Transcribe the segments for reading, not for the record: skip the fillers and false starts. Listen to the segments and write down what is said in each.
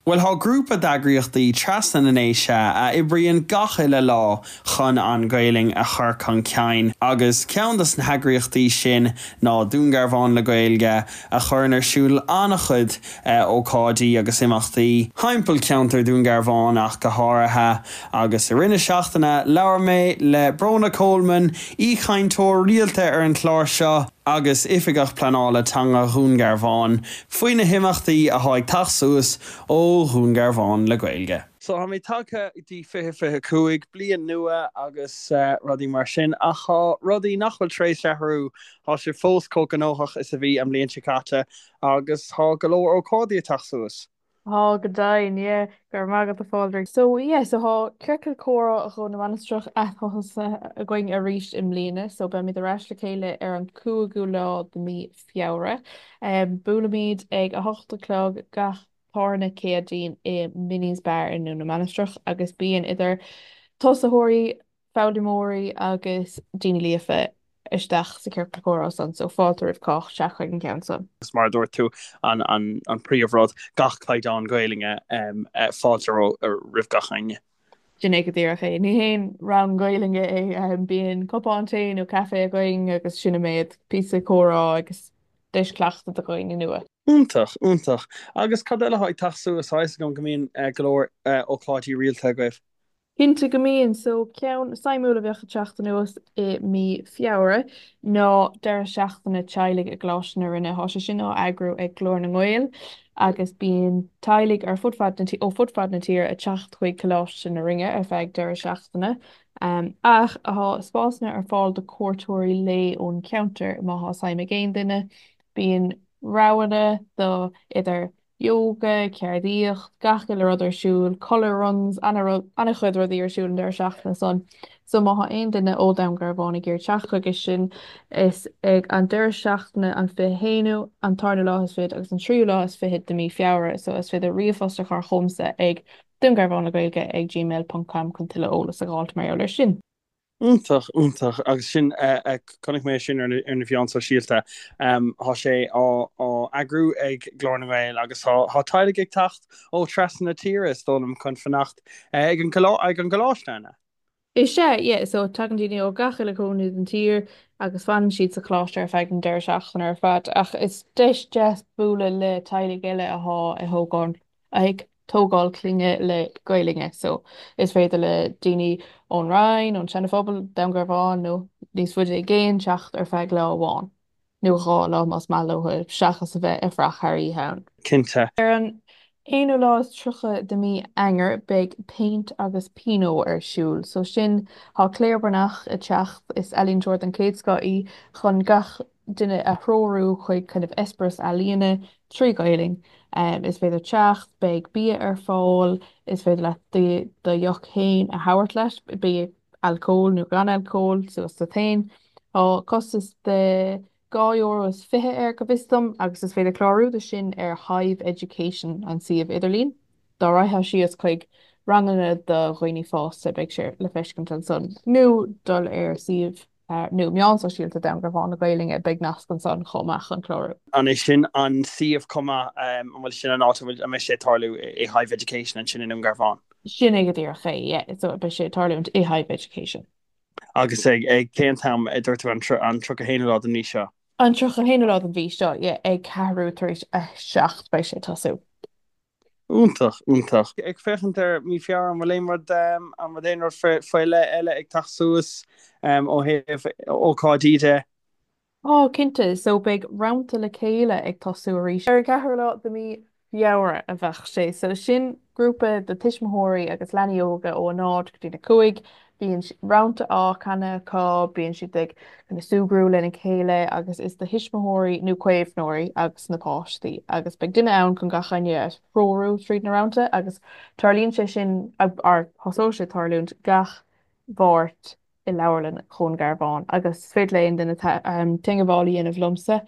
Bhuel, thá grúpa d'eagraíochtaí trasna na nDéise a oibríonn gach uile lá chun an Ghaelainn a chur chun cinn agus ceann dos na heagraíochtaí sin ná Dún Garbhán le Gaeilge a chuireann ar siúl an-chuid ócáidí agus imeachtaí thimpeall ceantar Dhún Garbhán ach go háirithe. Agus i rith na seachtaine labhair mé le Bróna Coleman, aoichainteoir rialta ar an chlár seo, agus Oifigeach Pleanála Teanga Dhún Garbhán, faoi na himeachtaí athá ag teacht suas ó Dhún Garbhán le Gaeilge. So tá mé tagtha go dtí 2025, bliain nua agus rudaí mar sin, ach thá rudaí nach bhfuil tar éis athrú, thá sibh fós chomh gnóthach is a bhí an bhliain seo caite agus thá go leor ócáidí ag teacht suas. Thá, go deimhin, yeah. Go raibh maith agat a Phádraig. So, yeah, so thá Ciorcal Comhrá Dhún na Mainistreach ath-thosaithe againn arís i mbliana, so beimid ar ais le chéile ar an 5ú lá de mí Feabhra. Buailimid ag 8 a chlog gach tarna Céadaoin i Minnie's Bar i nDún na Mainistreach agus bíonn idir tosaitheoirí, foghlaimeoirí agus daoine líofa isteach sa chiorcal comhrá san, so fáilte roimh chách teacht chuig an gceann san. Agus mar a dúirt tú, an príomhrud, gach caighdeán Gaelainne, fáilte roimh gach éinne. Sin é go díreach é. Ní haon rang Gaelainne é, bíonn cupán tae nó caife againn agus sin an méid, píosa comhrá agus deis cleachtadh do dhaoine nua. Iontach, iontach. Agus cad eile atá ag teacht suas? Tá fhios agam go mbíonn go leor ócáidí rialta agaibh. Cinnte go mbíonn. So, ceann suimiúil a bheadh ag teacht anuas i mí Feabhra ná deireadh seachtaine teaghlaigh i gColáiste na Rinne. Tá sé sin á eagrú ag Glór na nGael agus bíonn teaghlaigh ar fud fad na ó fud fad na tíre ag teacht chuig Coláiste na Rinne ar feadh deireadh seachtaine. Ach tá spásanna ar fáil do cuairteoirí lae ón cheantar má thá suim ag aon duine. Bíonn roghanna do idir Yoga, ceardaíocht, gach uile rud ar siúl, colour runs, an-chuid rudaí ar siúl an deireadh seachtaine san. So má thá aon duine ó Dhún Garbhán ag iarraidh teacht chuige sin, is ag an deireadh seachtaine an 21ú, an tarna lá is fichead agus an tríú lá is fichead de mí Feabhra. So is féidir ríomhphost a chur chugamsa ag dúngarbhánlegaeilge ag gmail ponc com chun tuilleadh eolas a dh'fháilt mar gheall air sin. Iontach, iontach. Agus sin, chonaic mé sin ar na meáin sóisialta. Tá sé á eagrú ag Glór na nGael agus tá teaghlaigh ag teacht ó trasna na tíre, is dóigh liom, chun fanacht ag an gcoláiste, an ea? Is ea, yeah. So tagann daoine ó gach uile chúinne den tír agus fanann siad sa choláiste ar feadh an deireadh seachtaine ar fad. Ach is deis deas bualadh le teaghlaigh eile athá ag thógáil ag tógáil clainne le Gaelainne so is féidir le daoine ón Rinn, ón Seana Phobal, Dún Garbhán nó níos faide i gcéin teacht ar feadh lá amháin nó dhá lá más maith leo seachas a bheith ag fuireach thar oíche ann. Cinnte. Ar an aonú lá is 30 de mí Eanáir beidh Péint agus Pinot ar siúl. So sin, tá Claire Breathnach ag teacht, is ealaíontóir den chéad scoth í, chun gach duine a threorú chuig kind of eispéireas ealaíne trí Ghaelainn. Is féidir teacht, beidh bia ar fáil, is féidir leat do dheoch féin a thabhairt leat, bíodh alcól nó gan alcól, suas duit féin. Tá costas de €2 is 20 air go bhfios dom agus is féidir clárú do sin ar Hive Education, an suíomh idirlín. Dá raghfá síos chuig ranganna do dhaoine fásta beidh sé le feiscint ansan nó dul ar suíomh nó meáin sóisialta Dhún Garbhán le Gaelainne, beidh nasc ansan chomh maith chun clárú. An é sin an suíomh chomh maith, an bhfuil sin an áit a bhfuil, an mbeidh sé ag tarlú i Hive Education ansin i nDún Garbhán? Sin é go díreach é, yeah, so beidh sé ag tarlúint i Hive Education. Agus ag cén t-am a dúirt tú, an 31ú lá den mhí seo? An 31ú lá den mhí seo, yeah, ag ceathrú tar éis a 7 beidh sé ag tosú. Iontach, iontach. Ag féachaint ar mí Feabhra, an bhfuil aon rud, an bhfuil aon rud faoi leith eile ag teacht suas ó thaobh ócáidí de? Tá, cinnte. So beidh Rannta le Chéile ag tosú arís. Ar an gceathrú lá de mí Feabhra a bheadh sé. So sin grúpa de tuismitheoirí agus leanaí óga ó 0 go dtí 5. Bíonn rannta á canadh acu, bíonn siad ag kind of súgradh lena chéile agus is do thuismitheoirí nó caomhnóirí agus na páistí agus beidh duine ann chun gach éinne a threorú tríd na rannta agus tarlaíonn sé sin, or thosóidh sé tarlúint gach Mháirt i Leabharlann Dhún Garbhán agus is féidir le aon duine teagmháil a dhéanamh liomsa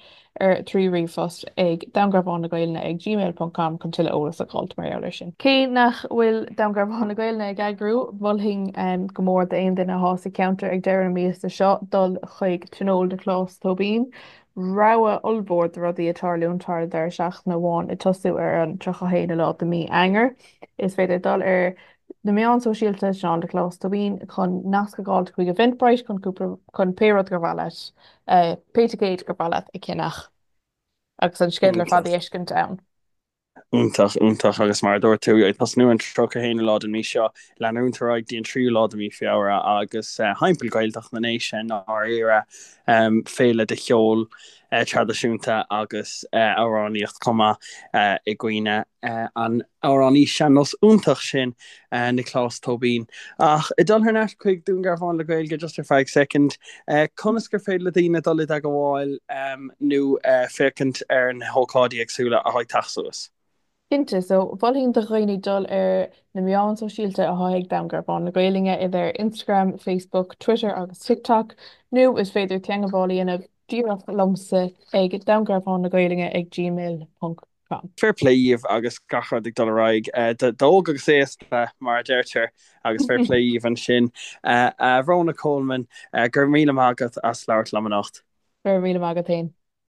ar 3 ríomhphost ag dúngarbhánlegaeilge ag gmail ponc com chun tuilleadh eolas a dh'fháilt mar gheall air sin. Cé nach bhfuil Dún Garbhán le Gaelainne ag eagrú, mholfainn go mór d'aon duine athá sa cheantar ag deireadh na míosa seo dul chuig tionól de Chlós Tóibín. rogha ollmhór de rudaí ag tarlúint thar an deireadh seachtaine amháin ag tosú ar an 31ú lá de mí Eanáir. Is féidir dul ar na meáin sóisialta Seán Nioclás Tóibín chun nasc a fháil chuig Eventbrite chun cúpla chun pé rud gur mhaith leat, pé ticéid gur mhaith leat a cheannach agus an sceideal ar fad a fheiscint ann. Iontach, iontach agus mar a dúirt tú, ag tosnú an 31ú lá den mí seo, leanúint ar aghaidh dtí an 3ú lá de mí Feabhra agus thimpeall Ghaeltacht na nDéise i ndáiríre, féile de cheol traidisiúnta agus amhránaíocht chomh maith i gcuimhne an amhránaí sean-nós iontach sin, Nioclás Tóibín. Ach ag dul thar n-ais chuig Dún Garbhán le Gaeilge just ar feadh soicind, conas gur féidir le daoine dul i dteagmháil nó féachaint ar na hócáidí éagsúla atá ag teacht suas? Cinnte, so mholfainn do dhaoine dul ar na meáin sóisialta atá ag Dún Garbhán le Gaeilge, idir Instagram, Facebook, Twitter agus TikTok, nó is féidir teagmháil a dhéanamh díreach liomsa ag dúngarbhánlegaeilge ag gmail ponc com. Fair play dhíbh agus gach rud ag dul ar aghaidh d'óg agus aosta mar a deirtear agus fair play dhíbh ansin. A Bhróna Coleman, go raibh míle maith agat as labhairt liom anocht. Go raibh míle maith agat féin.